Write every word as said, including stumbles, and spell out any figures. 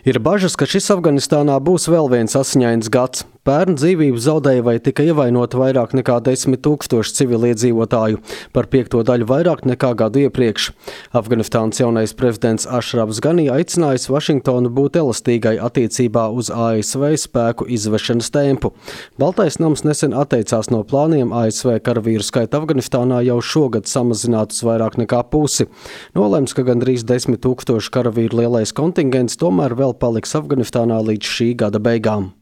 Ir bažas, ka šis Afganistānā būs vēl viens asiņains gads. Pērn dzīvību zaudēja vai tika ievainoti vairāk nekā desmit tūkstoši civiliedzīvotāju, par piekto daļu vairāk nekā gadu iepriekš. Afganistānas jaunais prezidents Ašrafs Ganī aicinājis Vašingtonu būt elastīgai attiecībā uz A S V spēku izvešanas tempu. Baltais nams nesen atteicās no plāniem A S V karavīru skaitu Afganistānā jau šogad samazināt uz vairāk nekā pusi. Nolemts, ka gandrīz desmit tūkstoši karavīru lielais kontingents tomēr vēl paliks Afganistānā līdz šī gada beigām.